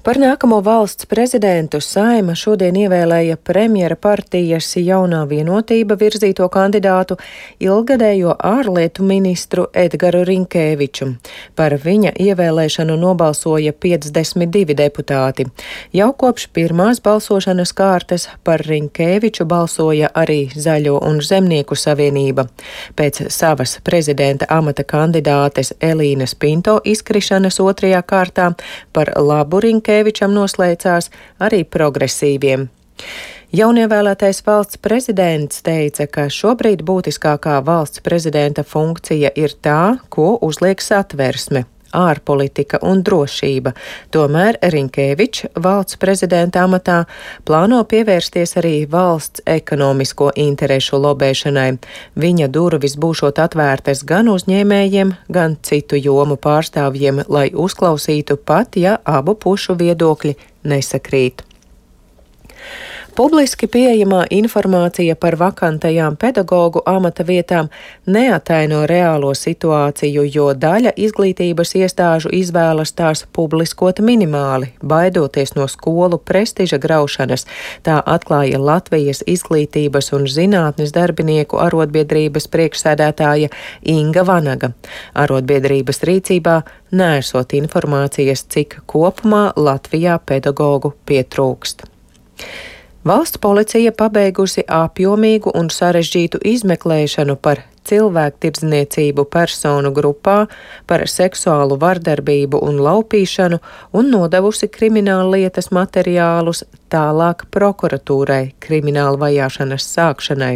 Par nākamo valsts prezidentu Saeima šodien ievēlēja premjera partijas Jaunā vienotība virzīto kandidātu ilgadējo ārlietu ministru Edgaru Rinkēviču. Par viņa ievēlēšanu nobalsoja 52 deputāti. Jau kopš pirmās balsošanas kārtas par Rinkēviču balsoja arī Zaļo un Zemnieku savienība. Pēc savas prezidenta amata kandidātes Elīnas Pinto izkrišanas otrajā kārtā par labu Rinkēvičam noslēdzās arī progresīviem. Jaunievēlētais valsts prezidents teica, ka šobrīd būtiskākā valsts prezidenta funkcija ir tā, ko uzliek Satversme – ārpolitika un drošība. Tomēr Rinkēvičs valsts prezidenta amatā plāno pievērsties arī valsts ekonomisko interešu lobēšanai. Viņa durvis būšot atvērtas gan uzņēmējiem, gan citu jomu pārstāvjiem, lai uzklausītu pat, ja abu pušu viedokļi nesakrīt. Publiski pieejamā informācija par vakantajām pedagogu amata vietām neataino reālo situāciju, jo daļa izglītības iestāžu izvēlas tās publiskot minimāli, baidoties no skolu prestiža graušanas. Tā atklāja Latvijas izglītības un zinātnes darbinieku arotbiedrības priekšsēdētāja Inga Vanaga. Arotbiedrības rīcībā neesot informācijas, cik kopumā Latvijā pedagogu pietrūkst. Valsts policija pabeigusi apjomīgu un sarežģītu izmeklēšanu par cilvēktirdzniecību personu grupā, par seksuālu vardarbību un laupīšanu un nodevusi krimināllietas materiālus tālāk prokuratūrai krimināla vajāšanas sākšanai.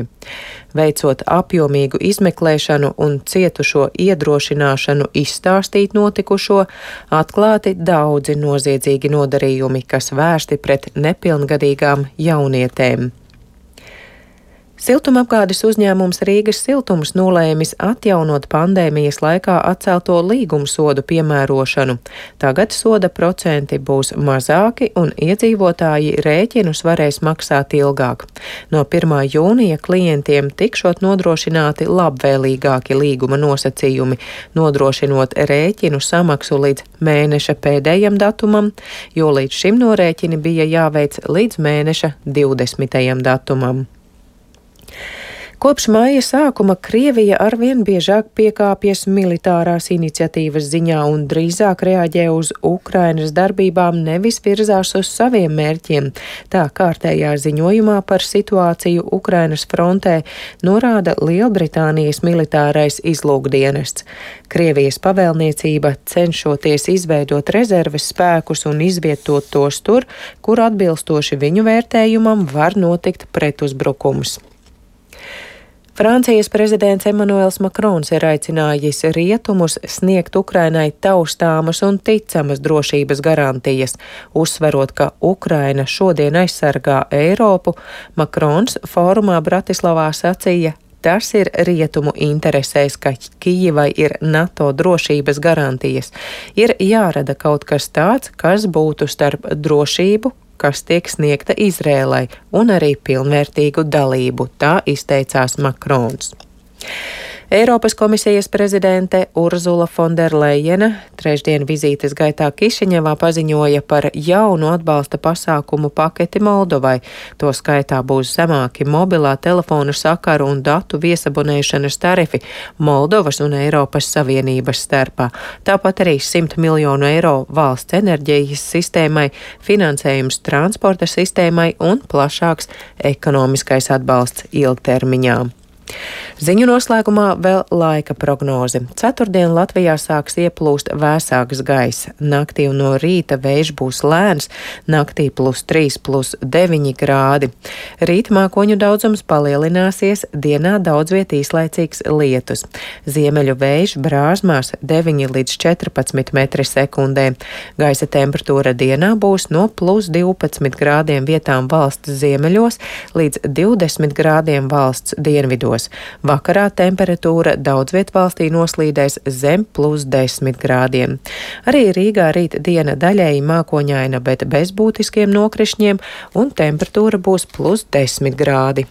Veicot apjomīgu izmeklēšanu un cietušo iedrošināšanu izstāstīt notikušo, atklāti daudzi noziedzīgi nodarījumi, kas vērsti pret nepilngadīgām jaunietēm. Siltumapgādes uzņēmums Rīgas siltums nolēmis atjaunot pandēmijas laikā atcelto līgumsodu piemērošanu. Tagad soda procenti būs mazāki un iedzīvotāji rēķinus varēs maksāt ilgāk. No 1. jūnija klientiem tikšot nodrošināti labvēlīgāki līguma nosacījumi, nodrošinot rēķinu samaksu līdz mēneša pēdējam datumam, jo līdz šim norēķini bija jāveic līdz mēneša 20. datumam. Kopš maija sākuma Krievija arvien biežāk piekāpjas militārās iniciatīvas ziņā un drīzāk reaģē uz Ukrainas darbībām, nevis virzās uz saviem mērķiem. Tā kārtējā ziņojumā par situāciju Ukrainas frontē norāda Lielbritānijas militārais izlūkdienests. Krievijas pavēlniecība cenšoties izveidot rezerves spēkus un izvietot tos tur, kur atbilstoši viņu vērtējumam var notikt pretuzbrukums. Francijas prezidents Emmanuels Makrons ir aicinājis rietumus sniegt Ukrainai taustāmas un ticamas drošības garantijas. Uzsverot, ka Ukraina šodien aizsargā Eiropu, Makrons fórumā Bratislavā sacīja: tas ir rietumu interesēs, ka Kijivai ir NATO drošības garantijas. Ir jārada kaut kas tāds, kas būtu starp drošību, kas tiek sniegta Izrēlai, un arī pilnvērtīgu dalību, tā izteicās Makrons. Eiropas komisijas prezidente Urzula Fonderlejena trešdien vizītes gaitā Kišiņevā paziņoja par jaunu atbalsta pasākumu paketi Moldovai. To skaitā būs zemāki mobilā telefonu sakaru un datu viesabonēšanas tarifi Moldovas un Eiropas Savienības starpā. Tāpat arī 100 miljonu eiro valsts enerģijas sistēmai, finansējums transporta sistēmai un plašāks ekonomiskais atbalsts ilgtermiņā. Ziņu noslēgumā vēl laika prognoze. Ceturtdien Latvijā sāks ieplūst vēsāks gaiss. Naktī un no rīta vējš būs lēns, naktī +3, +9 grādi. Rīt mākoņu daudzums palielināsies, dienā daudz viet īslaicīgs lietus. Ziemeļu vējš brāzmās 9 līdz 14 metri sekundē. Gaisa temperatūra dienā būs no +12 grādiem vietām valsts ziemeļos līdz 20 grādiem valsts dienvidos. Vakarā temperatūra daudz viet valstī noslīdēs zem +10 grādiem. Arī Rīgā rīt diena daļēji mākoņaina, bet bez būtiskiem nokrišņiem, un temperatūra būs +10 grādi.